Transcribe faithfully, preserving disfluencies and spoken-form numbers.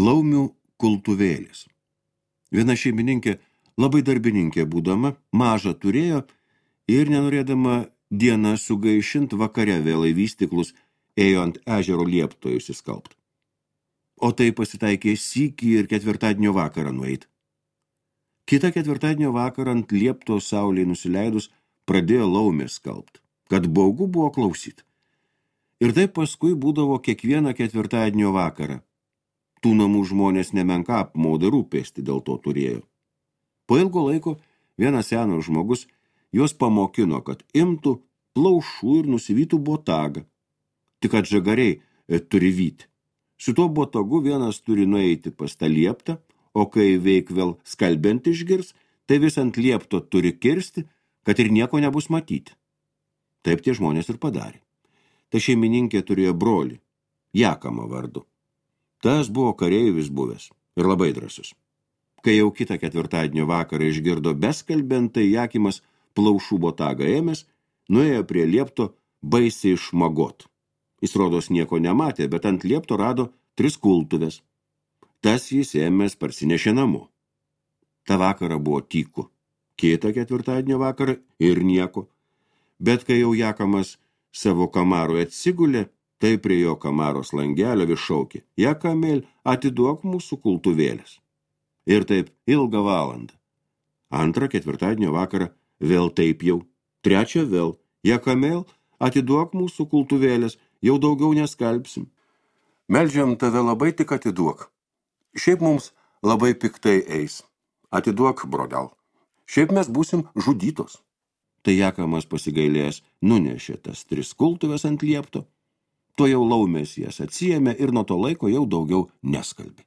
Laumių kultuvėlis. Viena šeimininkė, labai darbininkė būdama, mažą turėjo ir nenorėdama dieną sugaišint vakare vėl į vystiklus ėjo ant ežero liepto įsiskalbt. O tai pasitaikė sykį ir ketvirtadienio vakarą nueit. Kita ketvirtadienio vakarą ant liepto saulei nusileidus pradėjo laumės skalbt, kad baugu buvo klausyt. Ir taip paskui būdavo kiekvieną ketvirtadienio vakarą. Tų namų žmonės nemenka apmaudą rūpestį dėl to turėjo. Po ilgo laiko vienas senas žmogus juos pamokino, kad imtų plaušų ir nusivytų botagą. Tik kad žagariai e, turi vyti. Su tuo botagu vienas turi nueiti pas tą lieptą, o kai veik vėl skalbiant išgirs, tai vis ant liepto turi kirsti, kad ir nieko nebus matyti. Taip tie žmonės ir padarė. Ta šeimininkė turėjo brolį, Jakamą vardu. Tas buvo kareivis buvęs ir labai drąsus. Kai jau kitą ketvirtadienio vakarą išgirdo beskalbentai, Jakimas plaušų botagą ėmės, nuėjo prie liepto baisiai išmagot. Jis rodos nieko nematė, bet ant liepto rado tris kultuvės. Tas jis ėmės parsinešė namo. Ta vakarą buvo tyku. Kitą ketvirtadienio vakarą ir nieko. Bet kai jau Jakamas savo kamarui atsigulė, tai prie jo kamaros langelio vis šaukė: Jakamėl, atiduok mūsų kultuvėlės. Ir taip ilgą valandą. Antrą ketvirtadienio vakarą vėl taip jau. Trečią vėl: Jakamėl, atiduok mūsų kultuvėlės, jau daugiau neskalbsim. Meldžiam tave labai, tik atiduok. Šiaip mums labai piktai eis. Atiduok, brodel. Šiaip mes būsim žudytos. Tai Jakamas pasigailėjęs nunešė tas tris kultuvės ant liepto. To jau laumės jas atsiėmė ir nuo to laiko jau daugiau neskalbė.